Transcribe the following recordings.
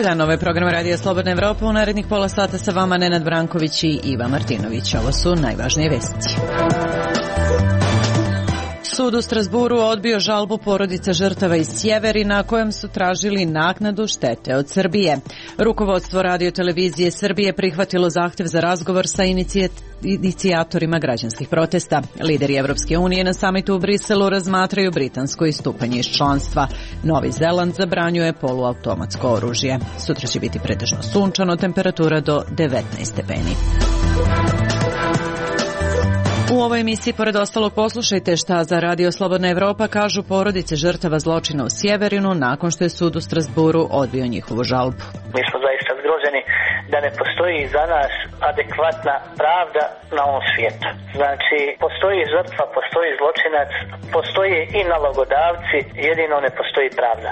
Za nove programe Radija Slobodna Evropa u narednih pola sata sa vama Nenad Branković i Iva Martinović. Ovo su najvažnije vesti. Sud u Strasburu odbio žalbu porodica žrtava iz Sjeverina kojom su tražili naknadu štete od Srbije. Rukovodstvo Radio-televizije Srbije prihvatilo zahtev za razgovor sa inicijatorima građanskih protesta. Lideri Evropske unije na samitu u Briselu razmatraju britansko istupanje iz članstva. Novi Zeland zabranjuje poluautomatsko oružje. Sutra će biti pretežno sunčano, temperatura do 19 stepeni. U ovoj emisiji, pored ostalog, poslušajte šta za Radio Slobodna Evropa kažu porodice žrtava zločina u Sjeverinu nakon što je sud u Strasburu odbio njihovu žalbu. Mi smo zaista zgroženi da ne postoji za nas adekvatna pravda na ovom svijetu. Znači, postoji žrtva, postoji zločinac, postoje i nalogodavci, jedino ne postoji pravda.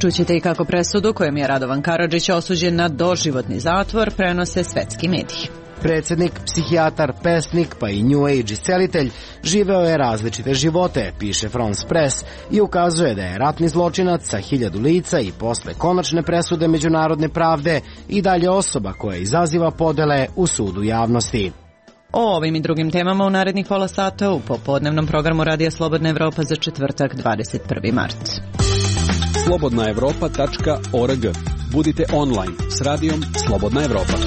Čućete i kako presudu, kojom je Radovan Karadžić osuđen na doživotni zatvor, prenose svetski mediji. Predsjednik, psihijatar, pesnik pa i New Age iscelitelj živeo je različite živote, piše France Press, i ukazuje da je ratni zločinac sa 1000 lica i posle konačne presude međunarodne pravde i dalje osoba koja izaziva podele u sudu javnosti. O ovim i drugim temama u narednih pola sata u popodnevnom programu Radija Slobodna Evropa za četvrtak 21. mart. slobodnaevropa.org. Budite online s radijom Slobodna Evropa.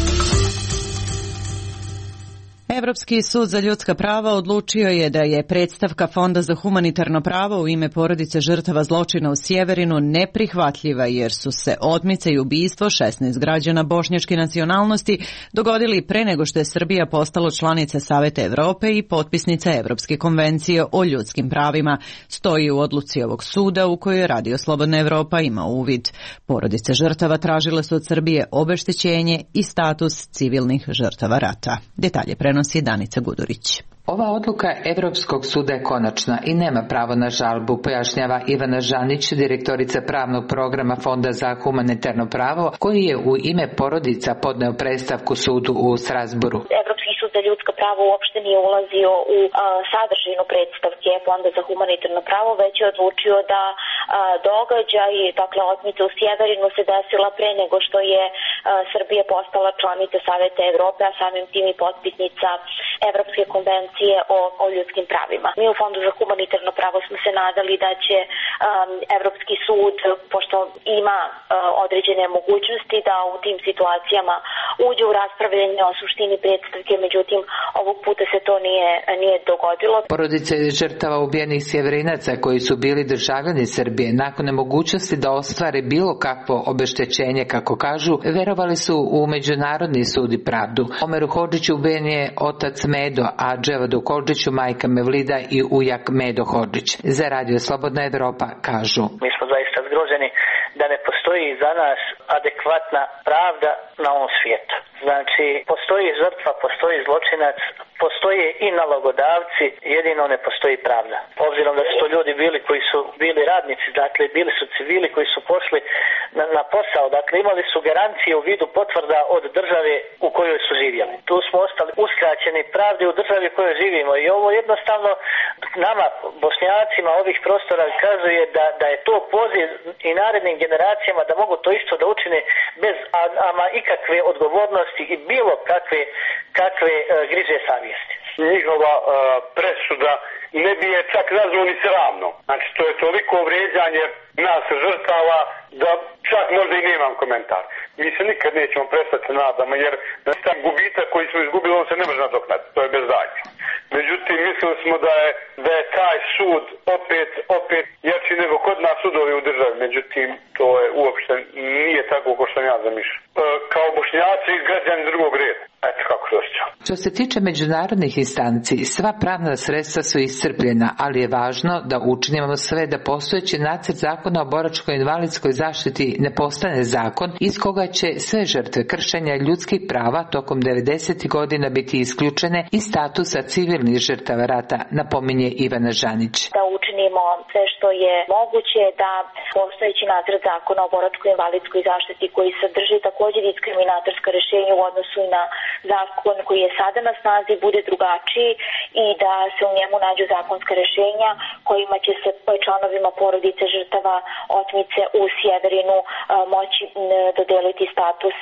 Evropski sud za ljudska prava odlučio je da je predstavka Fonda za humanitarno pravo u ime porodice žrtava zločina u Sjeverinu neprihvatljiva jer su se otmice i ubistvo 16 građana bošnjačke nacionalnosti dogodili pre nego što je Srbija postala članica Saveta Evrope i potpisnica Evropske konvencije o ljudskim pravima, stoji u odluci ovog suda u kojoj je Radio Slobodna Evropa ima uvid. Porodice žrtava tražile su od Srbije obeštećenje i status civilnih žrtava rata. Detalje prenosi Danica Gudurić. Ova odluka Evropskog suda je konačna i nema pravo na žalbu, pojašnjava Ivana Žanić, direktorica pravnog programa Fonda za humanitarno pravo, koji je u ime porodica podneo predstavku sudu u Strasburu. Evropski sud za ljudska prava uopšte nije ulazio u sadržinu predstavke Fonda za humanitarno pravo, već je odlučio da događaj, dakle otmica u Sjeverinu se desila pre nego što je Srbija postala članica Saveta Evrope, a samim tim i potpisnica Evropske konvencije o ljudskim pravima. Mi u Fondu za humanitarno pravo smo se nadali da će Evropski sud, pošto ima određene mogućnosti da u tim situacijama uđe u raspravljanje o suštini predstavke, međutim ovog puta se to nije dogodilo. Porodice žrtava ubijenih Sjeverinaca koji su bili državljani Srbije nakon nemogućnosti da ostvare bilo kakvo obeštećenje, kako kažu, verovali su u Međunarodni sud i pravdu. Omeru Hodžiću ubijen je otac Medo, a Dževadu Hodžiću majka Mevlida i ujak Medo Hodžić. Za Radio Slobodna Evropa kažu: Mi smo zaista zgroženi da ne postoji za nas adekvatna pravda na ovom svijetu. Znači, postoji žrtva, postoji zločinac, postoje i nalogodavci, jedino ne postoji pravda. Obzirom da su to ljudi bili koji su bili radnici, dakle bili su civili koji su pošli na posao, dakle imali su garancije u vidu potvrda od države u kojoj su živjeli. Tu smo ostali uskraćeni pravde u državi u kojoj živimo i ovo jednostavno nama, Bošnjacima ovih prostora, kazuje da je to poziv i narednim generacijama da mogu to isto da učine bez ama ikakve odgovornosti i bilo kakve griže savjesti. Njihova presuda ne bi je čak nazvao ni sramno. Znači, to je toliko vrijeđanje nas žrtava da čak možda i nemam komentar. Mi se nikad nećemo prestati nadamo, jer taj gubitak koji smo izgubili, on se ne može nadoknaditi. To je bez daljnje. Međutim, mislili smo da je taj sud opet jači nego kod nas sudovi u državi. Međutim, to je uopšte nije tako kao što ja zamišljam. Kao Bošnjaci i građani drugog reda. Eto kako se osjećam. Što se tiče međunarodnih instanci, sva pravna sredstva su iscrpljena, ali je važno da učinimo sve da postojeći nacrt zakona o boračko-invalidskoj zaštiti ne postane zakon iz koga će sve žrtve kršenja ljudskih prava tokom 90. godina biti isključene iz statusa civilnih žrtava rata, napominje Ivana Žanić. Da učinimo sve što je moguće, da postojeći nacrt zakona o boračko-invalidskoj zaštiti koji sadrži takođe diskriminatorska rešenja u odnosu na zakon koji je sada na snazi bude drugačiji i da se u njemu nađu zakonska rešenja kojima će se članovima porodice žrtava otmice u Sjeverinu moći dodeliti status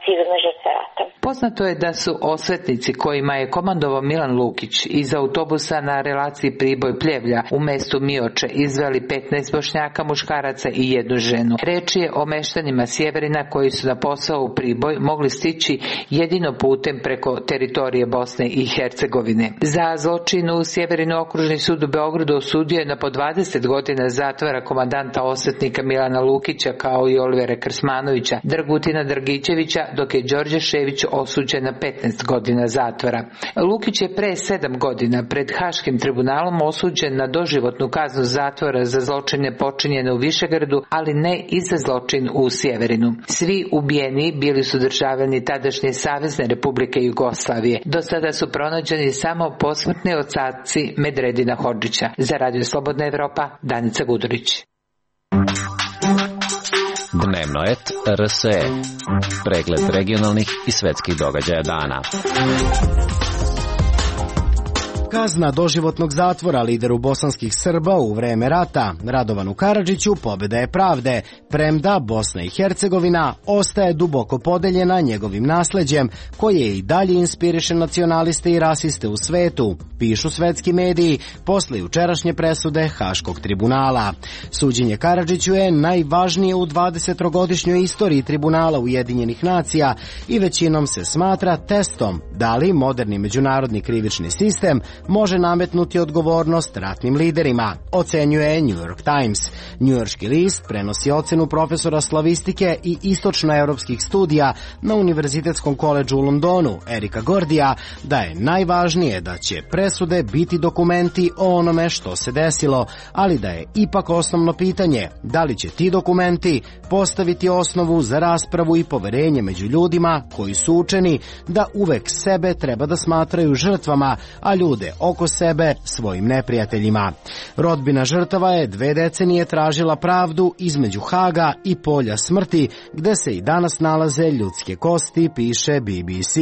civilne žrtve rata. Poznato je da su osvetnici kojima je komandovao Milan Lukić iz autobusa na relaciji Priboj-Pljevlja u mestu Mioče izveli 15 Bošnjaka, muškaraca i jednu ženu. Reč je o meštanima Sjeverina koji su na posao u Priboj mogli stići jedino putem preko teritorije Bosne i Hercegovine. Za zločin u Sjeverinu okružni sud u Beogradu osudio je na po 20 godina zatvora komandanta osvetnika Milana Lukića kao i Olivera Krsmanovića, Dragutina Dragićevića, dok je Đorđe Šević osuđen na 15 godina zatvora. Lukić je pre 7 godina pred Haškim tribunalom osuđen na doživotnu kaznu zatvora za zločine počinjene u Višegradu, ali ne i za zločin u Sjeverinu. Svi ubijeni bili su državljani tadašnje Savezne Republike Jugoslavije. Do sada su pronađeni samo posmrtni ostaci Medredina Hodžića. Za Radio Slobodna Evropa, Danica Gudurić. Dnevno et RSE. Pregled regionalnih i svetskih događaja dana. Kazna doživotnog zatvora lideru bosanskih Srba u vreme rata Radovanu Karadžiću pobjeda je pravde, premda Bosna i Hercegovina ostaje duboko podeljena njegovim nasleđem koje i dalje inspiriše nacionaliste i rasiste u svetu, pišu svetski mediji posle jučerašnje presude Haškog tribunala. Suđenje Karadžiću je najvažnije u 20-godišnjoj istoriji tribunala Ujedinjenih nacija i većinom se smatra testom da li moderni međunarodni krivični sistem može nametnuti odgovornost ratnim liderima, ocenjuje New York Times. Njujorški list prenosi ocenu profesora slavistike i istočnoevropskih studija na Univerzitetskom koledžu u Londonu, Erika Gordija, da je najvažnije da će presude biti dokumenti o onome što se desilo, ali da je ipak osnovno pitanje da li će ti dokumenti postaviti osnovu za raspravu i poverenje među ljudima koji su učeni da uvek sebe treba da smatraju žrtvama, a ljude oko sebe svojim neprijateljima. Rodbina žrtava je 2 decenije tražila pravdu između Haga i polja smrti, gde se i danas nalaze ljudske kosti, piše BBC.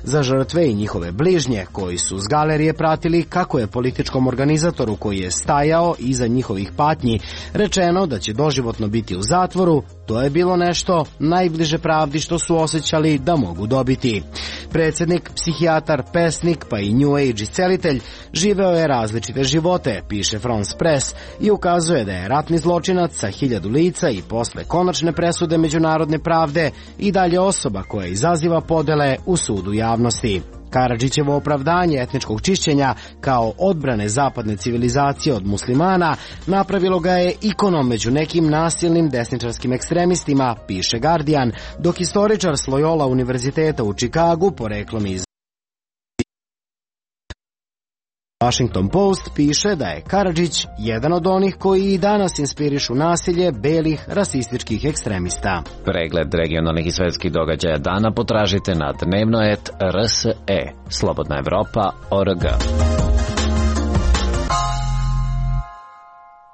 Za žrtve i njihove bližnje, koji su s galerije pratili kako je političkom organizatoru koji je stajao iza njihovih patnji rečeno da će doživotno biti u zatvoru, to je bilo nešto najbliže pravdi što su osjećali da mogu dobiti. Predsjednik, psihijatar, pesnik pa i New Age iscelitelj živeo je različite živote, piše France Press, i ukazuje da je ratni zločinac sa 1000 lica i posle konačne presude međunarodne pravde i dalje osoba koja izaziva podele u sudu javnosti. Karadžićevo opravdanje etničkog čišćenja kao odbrane zapadne civilizacije od muslimana napravilo ga je ikonom među nekim nasilnim desničarskim ekstremistima, piše Guardian, dok istoričar s Loyola univerziteta u Čikagu, poreklom iz Washington Post, piše da je Karadžić jedan od onih koji i danas inspirišu nasilje belih rasističkih ekstremista. Pregled regionalnih i svetskih događaja dana potražite na dnevno.rs.e. Slobodna Evropa.org.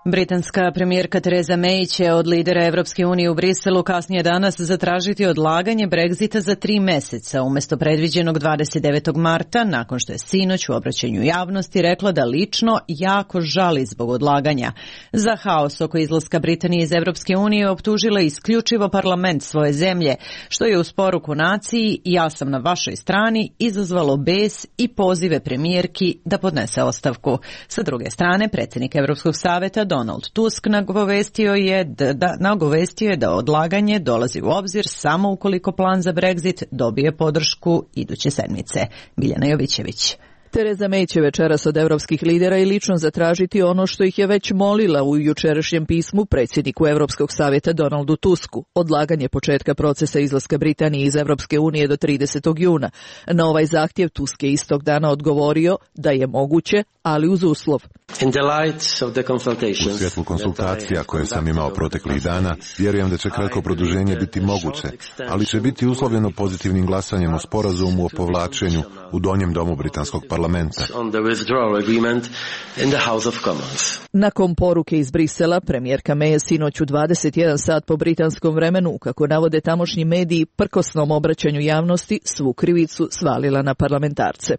Britanska premijerka Theresa May će od lidera Evropske unije u Briselu kasnije danas zatražiti odlaganje Brexita za 3 meseca, umjesto predviđenog 29. marta, nakon što je sinoć u obraćanju javnosti rekla da lično jako žali zbog odlaganja. Za haos oko izlaska Britanije iz Evropske unije optužila isključivo parlament svoje zemlje, što je uz poruku naciji "ja sam na vašoj strani" izazvalo bes i pozive premijerki da podnese ostavku. Sa druge strane, predsjednik Evropskog saveta Donald Tusk nagovestio je da odlaganje dolazi u obzir samo ukoliko plan za Brexit dobije podršku iduće sedmice. Biljana Jovićević. Theresa May će večeras od evropskih lidera i lično zatražiti ono što ih je već molila u jučerašnjem pismu predsjedniku Evropskog savjeta Donaldu Tusku, odlaganje početka procesa izlaska Britanije iz Evropske unije do 30. juna. Na ovaj zahtjev Tusk je istog dana odgovorio da je moguće, ali uz uslov. U svjetlu konsultacija koje sam imao proteklih dana, vjerujem da će kratko produženje biti moguće, ali će biti uslovljeno pozitivnim glasanjem o sporazumu o povlačenju u donjem domu britanskog parlamenta. parlamenta. Nakon poruke iz Brisela, premijerka May je sinoć u 21 sat po britanskom vremenu, kako navode tamošnji mediji, prkosnom obraćanju javnosti svu krivicu svalila na parlamentarce.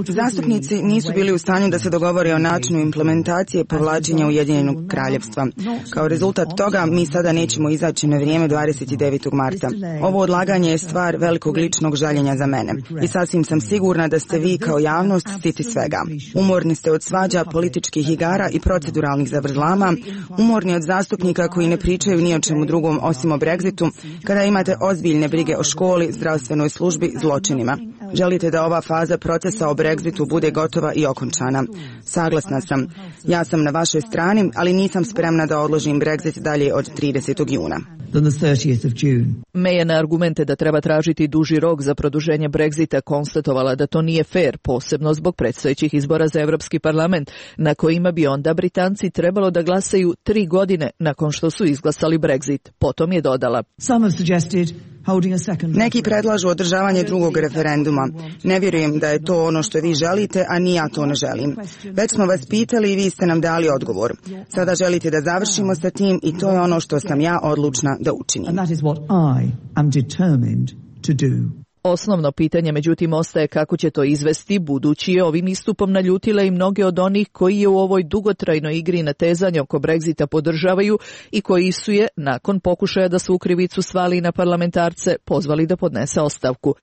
Zastupnici nisu bili u stanju da se dogovore o načinu implementacije povlačenja Ujedinjenog kraljevstva. Kao rezultat toga mi sada nećemo izaći na vrijeme 29. marta. Ovo odlaganje je stvar velikog ličnog žaljenja za mene. I sasvim sam sigurna da ste vi kao javnost stiti svega. Umorni ste od svađa, političkih igara i proceduralnih zavrzlama, umorni od zastupnika koji ne pričaju ni o čemu drugom osim o Brexitu, kada imate ozbiljne brige o školi, zdravstvenoj službi, zločinima. Želite da ova faza procesa o Brexitu bude gotova i okončana. Saglasna sam. Ja sam na vašoj strani, ali nisam spremna da odložim Brexit dalje od 30. juna. May je na argumente da treba tražiti duži rok za produženje Brexita konstatovala da to nije fair, posebno zbog predstojećih izbora za Evropski parlament, na kojima bi onda Britanci trebalo da glasaju 3 godine nakon što su izglasali Brexit. Potom je dodala: Neki predlažu održavanje drugog referenduma. Ne vjerujem da je to ono što vi želite, a ni ja to ne želim. Već smo vas pitali i vi ste nam dali odgovor. Sada želite da završimo sa tim i to je ono što sam ja odlučna da učinim. Osnovno pitanje, međutim, ostaje kako će to izvesti, budući je ovim istupom naljutila i mnoge od onih koji je u ovoj dugotrajnoj igri natezanja oko Brexita podržavaju i koji su je, nakon pokušaja da su u krivicu svali na parlamentarce, pozvali da podnese ostavku.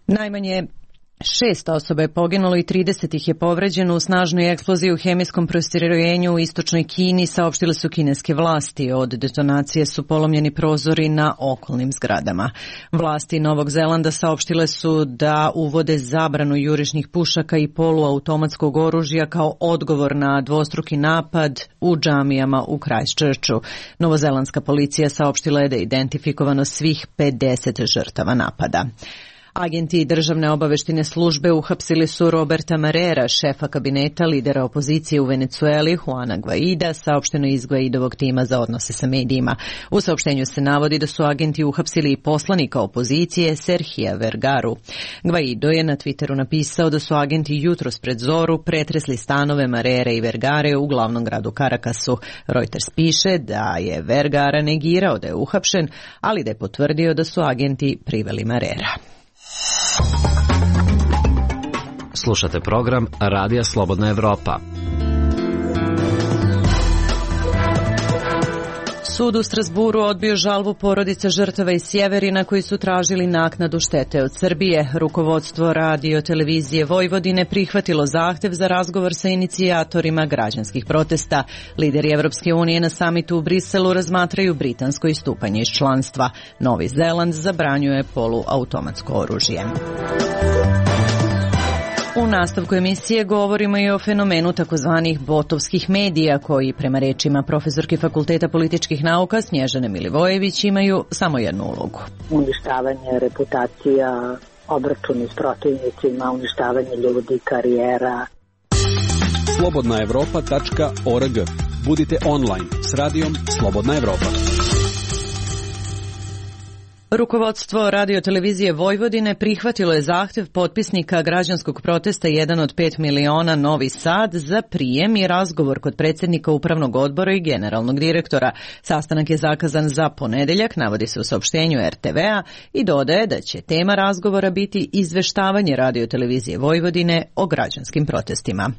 Najmanje 6 osoba je poginulo i 30 ih je povređeno u snažnoj eksploziji u hemijskom postrojenju u istočnoj Kini, saopštile su kineske vlasti. Od detonacije su polomljeni prozori na okolnim zgradama. Vlasti Novog Zelanda saopštile su da uvode zabranu jurišnih pušaka i poluautomatskog oružja kao odgovor na dvostruki napad u džamijama u Christchurchu. Novozelandska policija saopštila je da je identifikovano svih 50 žrtava napada. Agenti državne obaveštine službe uhapsili su Roberta Marrera, šefa kabineta lidera opozicije u Venecueli, Juana Guaida, saopšteno iz Guaidovog tima za odnose sa medijima. U saopštenju se navodi da su agenti uhapsili i poslanika opozicije Serhija Vergaru. Guaido je na Twitteru napisao da su agenti jutros pred zoru pretresli stanove Marrere i Vergare u glavnom gradu Caracasu. Reuters piše da je Vergara negirao da je uhapšen, ali da je potvrdio da su agenti priveli Marrera. Slušate program Radija Slobodna Evropa. Sud u Strasburu odbio žalbu porodica žrtava iz Sjeverina koji su tražili naknadu štete od Srbije. Rukovodstvo Radio televizije Vojvodine prihvatilo zahtev za razgovor sa inicijatorima građanskih protesta. Lideri Evropske unije na samitu u Briselu razmatraju britansko istupanje iz članstva. Novi Zeland zabranjuje poluautomatsko oružje. U nastavku emisije govorimo i o fenomenu takozvanih botovskih medija koji, prema rečima profesorke Fakulteta političkih nauka Snježane Milivojević, imaju samo jednu ulogu. Uništavanje reputacija, obračuni s protivnicima, uništavanje ljudi, karijera. Slobodnaevropa.org. Budite online s radijom Slobodna Evropa. Rukovodstvo Radio televizije Vojvodine prihvatilo je zahtev potpisnika građanskog protesta 1 od 5 miliona Novi Sad za prijem i razgovor kod predsjednika upravnog odbora i generalnog direktora. Sastanak je zakazan za ponedeljak, navodi se u saopštenju RTV-a i dodaje da će tema razgovora biti izveštavanje Radio televizije Vojvodine o građanskim protestima.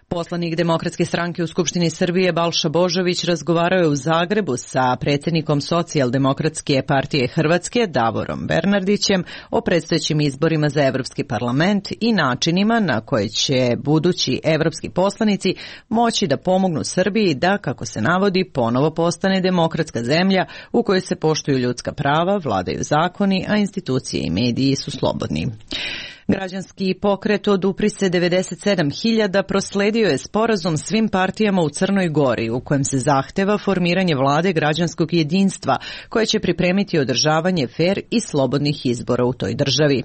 Poslanik Demokratske stranke u Skupštini Srbije Balša Božović razgovarao je u Zagrebu sa predsjednikom Socijaldemokratske partije Hrvatske Davorom Bernardićem o predstojećim izborima za Evropski parlament i načinima na koje će budući evropski poslanici moći da pomognu Srbiji da, kako se navodi, ponovo postane demokratska zemlja u kojoj se poštuju ljudska prava, vladaju zakoni, a institucije i mediji su slobodni. Građanski pokret Odupri se 97.000 prosledio je sporazum svim partijama u Crnoj Gori u kojem se zahteva formiranje vlade građanskog jedinstva koje će pripremiti održavanje fer i slobodnih izbora u toj državi.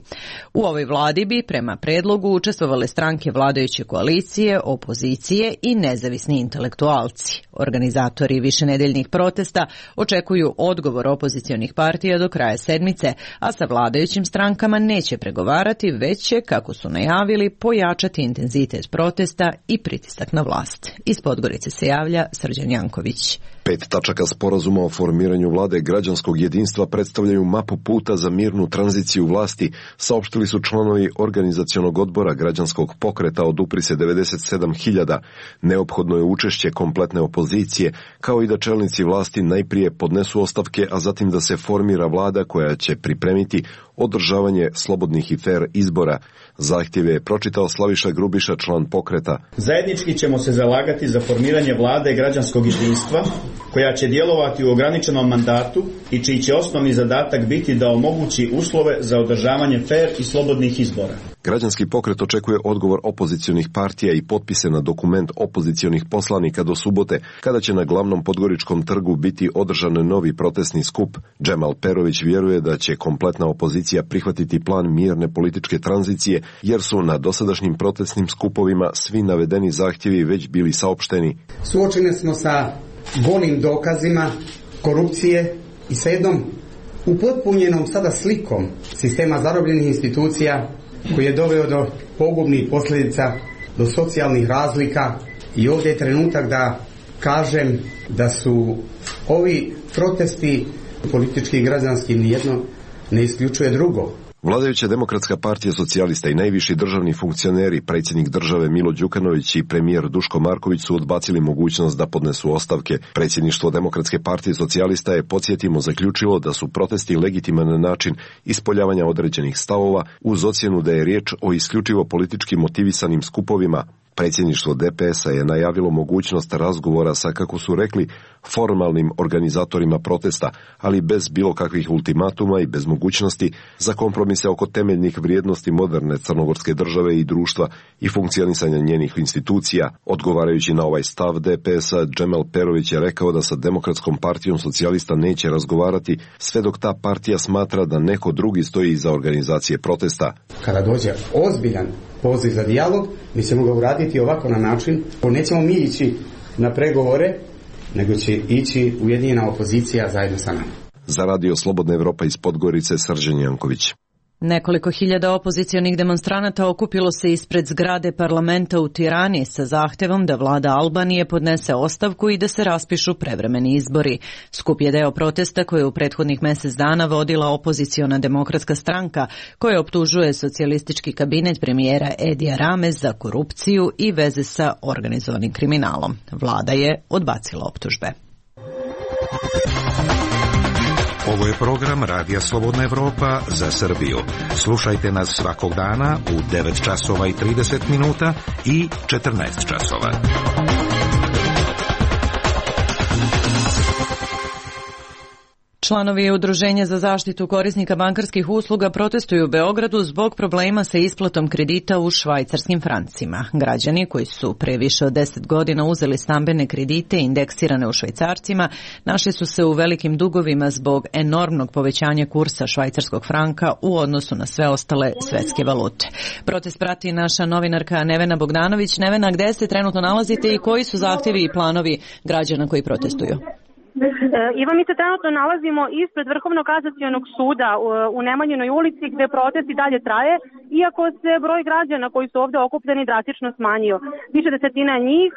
U ovoj vladi bi prema predlogu učestvovale stranke vladajuće koalicije, opozicije i nezavisni intelektualci. Organizatori višenedeljnih protesta očekuju odgovor opozicionih partija do kraja sedmice, a sa vladajućim strankama neće pregovarati, već će, kako su najavili, pojačati intenzitet protesta i pritisak na vlast. Iz Podgorice se javlja Srđan Janković. 5 tačaka sporazuma o formiranju vlade građanskog jedinstva predstavljaju mapu puta za mirnu tranziciju vlasti, saopštili su članovi organizacionog odbora građanskog pokreta Odupri se 97.000. Neophodno je učešće kompletne opozicije, kao i da čelnici vlasti najprije podnesu ostavke, a zatim da se formira vlada koja će pripremiti održavanje slobodnih i fer izbora. Zahtjeve je pročitao Slaviša Grubiša, član pokreta. Zajednički ćemo se zalagati za formiranje vlade građanskog jedinstva, koja će djelovati u ograničenom mandatu i čiji će osnovni zadatak biti da omogući uslove za održavanje fer i slobodnih izbora. Građanski pokret očekuje odgovor opozicionih partija i potpise na dokument opozicionih poslanika do subote, kada će na glavnom podgoričkom trgu biti održan novi protestni skup. Džemal Perović vjeruje da će kompletna opozicija prihvatiti plan mirne političke tranzicije, jer su na dosadašnjim protestnim skupovima svi navedeni zahtjevi već bili saopšteni. Suočeni smo sa golim dokazima korupcije i sa jednom upotpunjenom sada slikom sistema zarobljenih institucija koji je doveo do pogubnih posljedica, do socijalnih razlika, i ovdje je trenutak da kažem da su ovi protesti politički i građanski, nijedno ne isključuje drugo. Vladajuća Demokratska partija socijalista i najviši državni funkcioneri, predsjednik države Milo Đukanović i premijer Duško Marković su odbacili mogućnost da podnesu ostavke. Predsjedništvo Demokratske partije socijalista je, podsjetimo, zaključilo da su protesti legitiman način ispoljavanja određenih stavova, uz ocjenu da je riječ o isključivo politički motivisanim skupovima. Predsjedništvo DPS-a je najavilo mogućnost razgovora sa, kako su rekli, formalnim organizatorima protesta, ali bez bilo kakvih ultimatuma i bez mogućnosti za kompromise oko temeljnih vrijednosti moderne crnogorske države i društva i funkcionisanja njenih institucija. Odgovarajući na ovaj stav DPS-a, Džemal Perović je rekao da sa Demokratskom partijom socijalista neće razgovarati sve dok ta partija smatra da neko drugi stoji iza organizacije protesta. Kada dođe ozbiljan poziv za dijalog, mi ćemo ga uraditi ovako na način, nećemo mi ići na pregovore, nego će ići ujedinjena opozicija zajedno sa nama. Za Radio Slobodna Evropa iz Podgorice, Srđan Janković. Nekoliko hiljada opozicionih demonstranata okupilo se ispred zgrade parlamenta u Tirani sa zahtevom da vlada Albanije podnese ostavku i da se raspišu prevremeni izbori. Skup je deo protesta koje u prethodnih mjesec dana vodila opoziciona demokratska stranka, koja optužuje socijalistički kabinet premijera Edija Rame za korupciju i veze sa organizovanim kriminalom. Vlada je odbacila optužbe. Ovo je program Radija Slobodna Evropa za Srbiju. Slušajte nas svakog dana u 9 časova i 30 minuta i 14 časova. Članovi Udruženja za zaštitu korisnika bankarskih usluga protestuju u Beogradu zbog problema sa isplatom kredita u švajcarskim francima. Građani koji su pre više od 10 godina uzeli stambene kredite indeksirane u švajcarcima našli su se u velikim dugovima zbog enormnog povećanja kursa švajcarskog franka u odnosu na sve ostale svetske valute. Protest prati naša novinarka Nevena Bogdanović. Nevena, gde se trenutno nalazite i koji su zahtjevi i planovi građana koji protestuju? Iva, mi se trenutno nalazimo ispred Vrhovnog kasacionog suda u Nemanjinoj ulici gde protest i dalje traje, iako se broj građana koji su ovde okupljeni drastično smanjio. Više desetina njih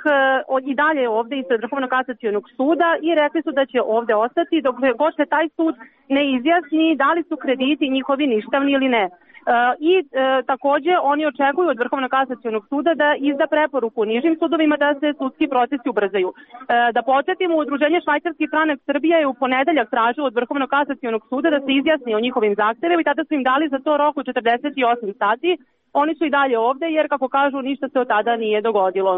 i dalje ovde ispred Vrhovnog kasacionog suda i rekli su da će ovde ostati dok god se taj sud ne izjasni da li su krediti njihovi ništavni ili ne. Takođe oni očekuju od Vrhovnog kasacionog suda da izda preporuku nižim sudovima da se sudski procesi ubrzaju. Da podsjetimo, Udruženje Švajcarski franak Srbija je u ponedeljak tražilo od Vrhovnog kasacionog suda da se izjasni o njihovim zahtevima i tada su im dali za to rok od 48 sati, oni su i dalje ovde jer, kako kažu, ništa se od tada nije dogodilo.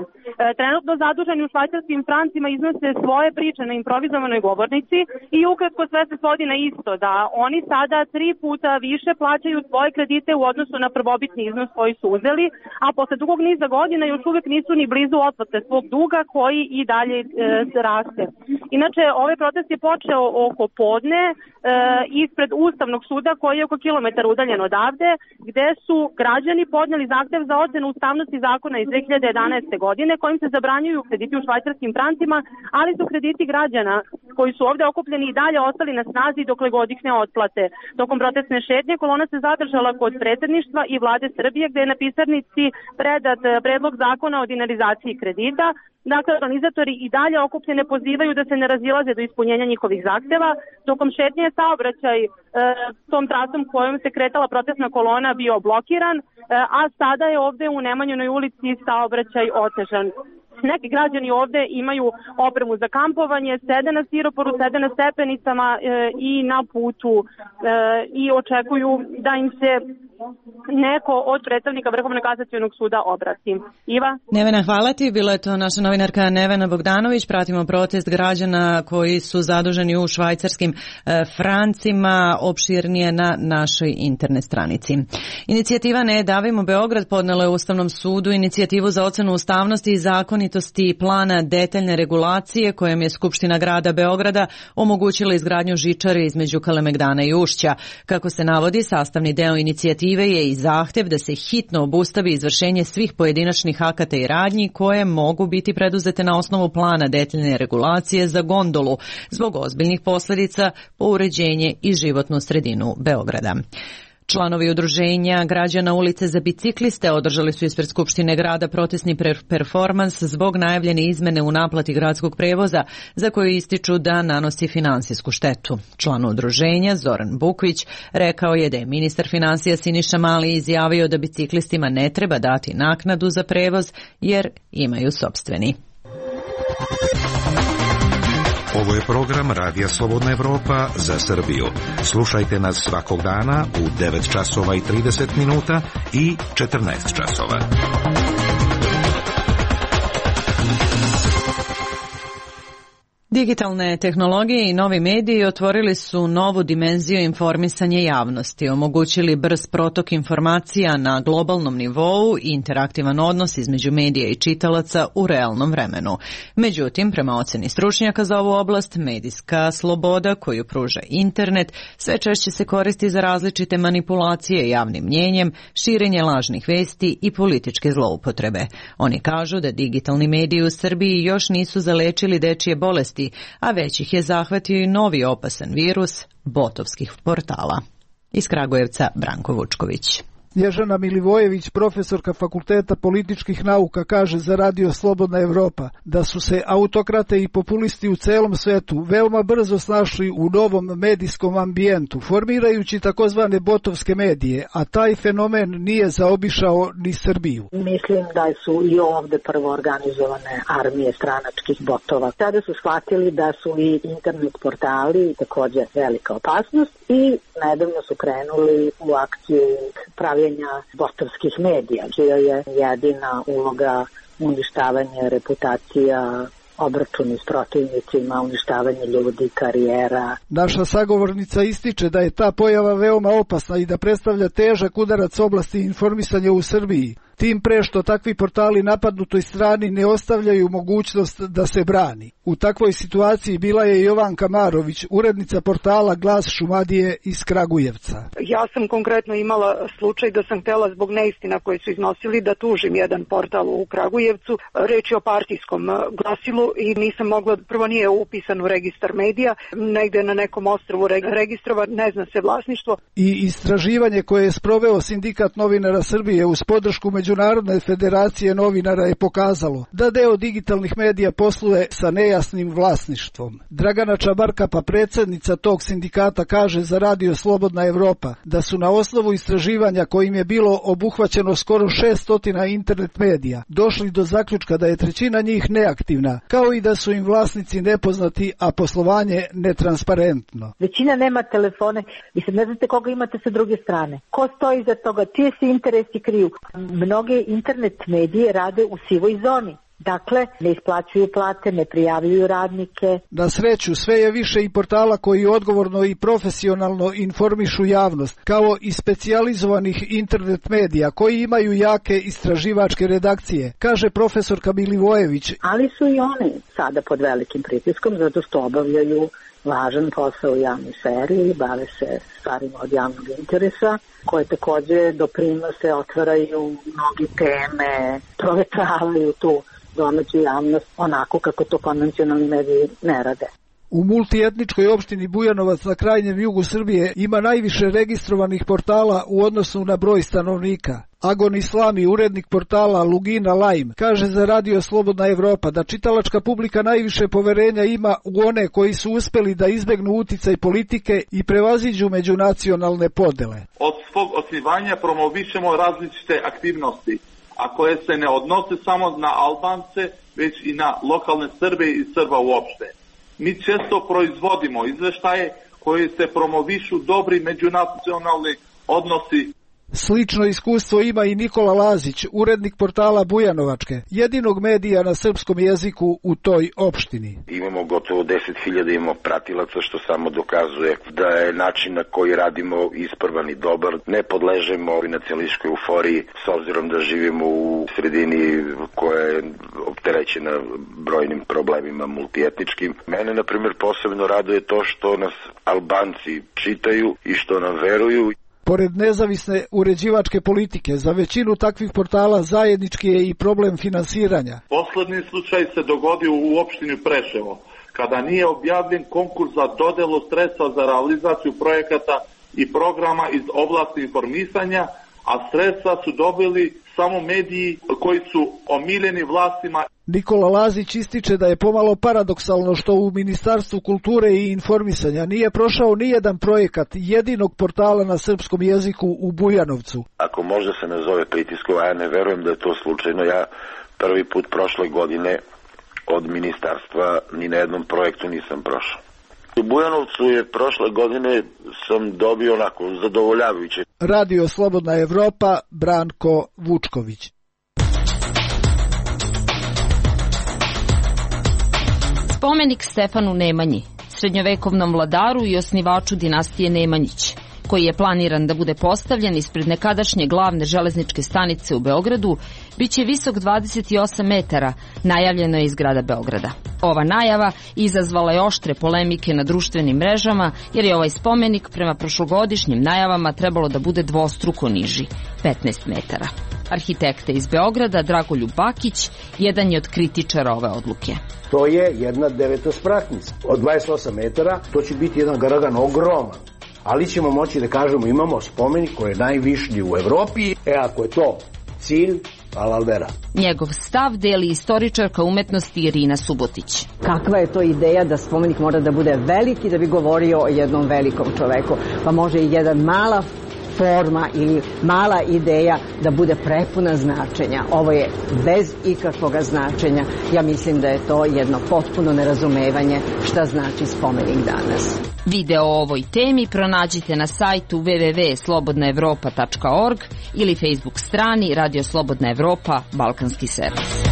Trenutno zaduženi u švajcarskim francima iznose svoje priče na improvizovanoj govornici i ukratko sve se svodi na isto, da oni sada 3 puta više plaćaju svoje kredite u odnosu na prvobitni iznos koji su uzeli, a posle dugog niza godina još uvek nisu ni blizu otplate svog duga koji i dalje raste. Inače, ovaj protest je počeo oko podne ispred Ustavnog suda koji je oko kilometar udaljen odavde, gde su građani podneli zahtev za ocenu ustavnosti zakona iz 2011. godine kojim se zabranjuju krediti u švajcarskim francima, ali su krediti građana koji su ovde okupljeni i dalje ostali na snazi dokle god ih ne otplate. Tokom protestne šetnje kolona se zadržala kod predsjedništva i vlade Srbije gde je na pisarnici predat predlog zakona o dinarizaciji kredita. Dakle, organizatori i dalje okupljene pozivaju da se ne razilaze do ispunjenja njihovih zahteva. Tokom šetnje je saobraćaj tom trasom kojom se kretala protestna kolona bio blokiran, a sada je ovde u Nemanjinoj ulici saobraćaj otežan. Neki građani ovde imaju opremu za kampovanje, sede na stiroporu, sede na stepenicama i na putu i očekuju da im se neko od predstavnika Vrhovnog kasacionog suda obrati. Iva? Nevena, hvala ti. Bila je to naša novinarka Nevena Bogdanović. Pratimo protest građana koji su zaduženi u švajcarskim francima, opširnije na našoj internet stranici. Inicijativa Ne davimo Beograd podnela je Ustavnom sudu inicijativu za ocenu ustavnosti i zakonitosti plana detaljne regulacije kojom je Skupština grada Beograda omogućila izgradnju žičare između Kalemegdana i Ušća. Kako se navodi, sastavni deo inicijative je i zahtev da se hitno obustavi izvršenje svih pojedinačnih akata i radnji koje mogu biti preduzete na osnovu plana detaljne regulacije za gondolu zbog ozbiljnih posljedica po uređenje i životnu sredinu Beograda. Članovi udruženja građana Ulice za bicikliste održali su ispred Skupštine grada protestni performans zbog najavljene izmene u naplati gradskog prevoza za koju ističu da nanosi finansijsku štetu. Član udruženja Zoran Bukvić rekao je da je ministar finansija Siniša Mali izjavio da biciklistima ne treba dati naknadu za prevoz jer imaju sopstveni. Ovo je program Radija Slobodna Evropa za Srbiju. Slušajte nas svakog dana u 9 časova i 30 minuta i 14 časova. Digitalne tehnologije i novi mediji otvorili su novu dimenziju informisanja javnosti, omogućili brz protok informacija na globalnom nivou i interaktivan odnos između medija i čitalaca u realnom vremenu. Međutim, prema oceni stručnjaka za ovu oblast, medijska sloboda koju pruža internet sve češće se koristi za različite manipulacije javnim mnjenjem, širenje lažnih vesti i političke zloupotrebe. Oni kažu da digitalni mediji u Srbiji još nisu zalečili dečije bolesti, a već ih je zahvatio i novi opasan virus botovskih portala. Iz Kragujevca Branko Vučković. Ježana Milivojević, profesorka Fakulteta političkih nauka, kaže za Radio Slobodna Evropa da su se autokrate i populisti u celom svetu veoma brzo snašli u novom medijskom ambijentu, formirajući takozvane botovske medije, a taj fenomen nije zaobišao ni Srbiju. Mislim da su i ovde prvo organizovane armije stranačkih botova. Tada su shvatili da su i internet portali također velika opasnost i nedavno su krenuli u akciju pravljenja botovskih medija, čija je jedina uloga uništavanje reputacija, obračuni s protivnicima, uništavanje ljudi, karijera. Naša sagovornica ističe da je ta pojava veoma opasna i da predstavlja težak udarac oblasti informisanja u Srbiji. Tim pre što takvi portali napadnutoj strani ne ostavljaju mogućnost da se brani. U takvoj situaciji bila je Jovanka Marović, urednica portala Glas Šumadije iz Kragujevca. Ja sam konkretno imala slučaj da sam htjela zbog neistina koje su iznosili da tužim jedan portal u Kragujevcu. Reč je o partijskom glasilu i nisam mogla, prvo nije upisan u registar medija, negde na nekom ostrvu registrovan, ne zna se vlasništvo. I istraživanje koje je sproveo Sindikat novinara Srbije uz podršku Međunarodne federacije novinara je pokazalo da deo digitalnih medija posluje sa nejasnim vlasništvom. Dragana Čabarkapa, predsjednica tog sindikata, kaže za Radio Slobodna Evropa da su na osnovu istraživanja kojim je bilo obuhvaćeno skoro 600 internet medija došli do zaključka da je trećina njih neaktivna, kao i da su im vlasnici nepoznati, a poslovanje netransparentno. Većina nema telefone i sad ne znate koga imate sa druge strane. Ko stoji iza toga, čije se interesi kriju. Mnoge internet medije rade u sivoj zoni. Dakle, ne isplaćuju plate, ne prijavljuju radnike. Na sreću, sve je više i portala koji odgovorno i profesionalno informišu javnost, kao i specijalizovanih internet medija koji imaju jake istraživačke redakcije, kaže profesorka Milivojević. Ali su i oni sada pod velikim pritiskom zato što obavljaju važan posao u javnoj sferi i bave se stvarima od javnog interesa, koje takođe doprinose, otvaraju mnogi teme, provetravaju tu domaću javnost onako kako to konvencionalni mediji ne rade. U multietničkoj opštini Bujanovac na krajnjem jugu Srbije ima najviše registrovanih portala u odnosu na broj stanovnika. Agon Islami, urednik portala Lugina Lajm, kaže za Radio Slobodna Evropa da čitalačka publika najviše poverenja ima u one koji su uspeli da izbegnu uticaj politike i prevaziđu međunacionalne podele. Od svog osnivanja promovišemo različite aktivnosti, a koje se ne odnose samo na Albance, već i na lokalne Srbe i Srba uopšte. Mi često proizvodimo izveštaje koji se promovišu dobri međunacionalni odnosi. Slično iskustvo ima i Nikola Lazić, urednik portala Bujanovačke, jedinog medija na srpskom jeziku u toj opštini. Imamo gotovo 10.000 imamo pratilaca, što samo dokazuje da je način na koji radimo ispravan i dobar. Ne podležemo nacionalističkoj euforiji s obzirom da živimo u sredini koja je opterećena brojnim problemima multietničkim. Mene, na primjer, posebno raduje to što nas Albanci čitaju i što nam veruju. Pored nezavisne uređivačke politike, za većinu takvih portala zajednički je i problem finansiranja. Poslednji slučaj se dogodio u opštini Preševo, kada nije objavljen konkurs za dodelu sredstva za realizaciju projekata i programa iz oblasti informisanja, a sredstva su dobili samo mediji koji su omiljeni vlastima. Nikola Lazić ističe da je pomalo paradoksalno što u Ministarstvu kulture i informisanja nije prošao nijedan projekat jedinog portala na srpskom jeziku u Bujanovcu. Ako možda se nazove pritiskom, a ja ne verujem da je to slučajno, ja prvi put prošle godine od ministarstva ni na jednom projektu nisam prošao. U Bujanovcu je prošle godine sam dobio onako zadovoljavajuće. Radio Slobodna Evropa, Branko Vučković. Spomenik Stefanu Nemanji, srednjovekovnom vladaru i osnivaču dinastije Nemanjić, koji je planiran da bude postavljen ispred nekadašnje glavne železničke stanice u Beogradu, biće visok 28 metara, najavljeno je iz grada Beograda. Ova najava izazvala je oštre polemike na društvenim mrežama, jer je ovaj spomenik prema prošlogodišnjim najavama trebalo da bude dvostruko niži, 15 metara. Arhitekta iz Beograda, Dragoljub Bakić, jedan je od kritičara ove odluke. To je jedna devetospratnica. Od 28 metara to će biti jedan garagan ogroman. Ali ćemo moći da kažemo imamo spomenik koji je najvišlji u Evropi. Ako je to cilj, Alaldera. Njegov stav deli istoričarka umetnosti Irina Subotić. Kakva je to ideja da spomenik mora da bude veliki da bi govorio o jednom velikom čoveku? Pa može i jedan mala forma ili mala ideja da bude prepuna značenja. Ovo je bez ikakvog značenja. Ja mislim da je to jedno potpuno nerazumevanje šta znači spomenik danas. Video o ovoj temi pronađite na sajtu www.slobodnaevropa.org ili Facebook strani Radio Slobodna Evropa, Balkanski servis.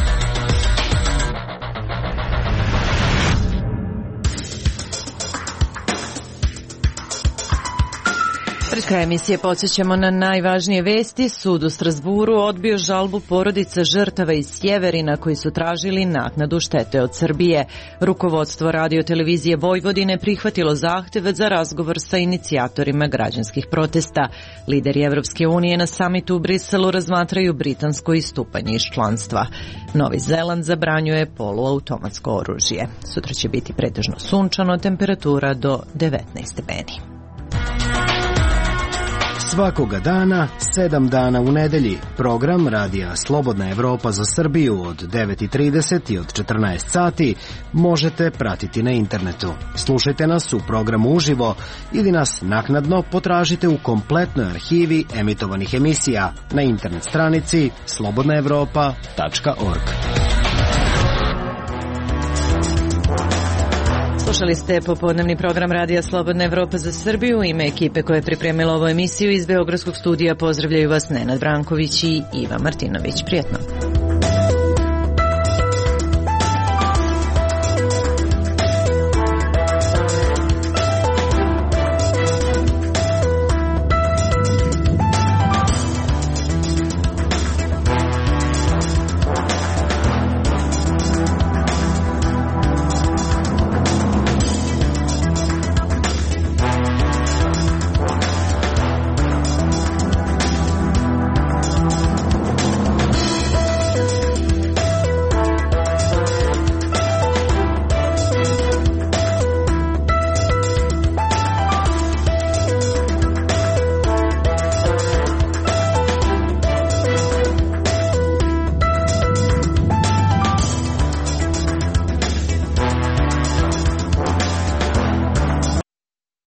Pred kraj emisije podsjećamo na najvažnije vesti. Sud u Strasburu odbio žalbu porodica žrtava iz Sjeverina koji su tražili naknadu štete od Srbije. Rukovodstvo Radio-televizije Vojvodine prihvatilo zahtev za razgovor sa inicijatorima građanskih protesta. Lideri Evropske unije na samitu u Briselu razmatraju britansko istupanje iz članstva. Novi Zeland zabranjuje poluautomatsko oružje. Sutra će biti pretežno sunčano, temperatura do 19 stepeni. Svakoga dana, 7 dana u nedelji, program Radija Slobodna Evropa za Srbiju od 9:30 i od 14 sati možete pratiti na internetu. Slušajte nas u programu uživo ili nas naknadno potražite u kompletnoj arhivi emitovanih emisija na internet stranici slobodnaevropa.org. Slušali ste popodnevni program Radija Slobodna Evropa za Srbiju. U ime ekipe koja je pripremila ovu emisiju iz Beogradskog studija pozdravljaju vas Nenad Branković i Iva Martinović. Prijetno.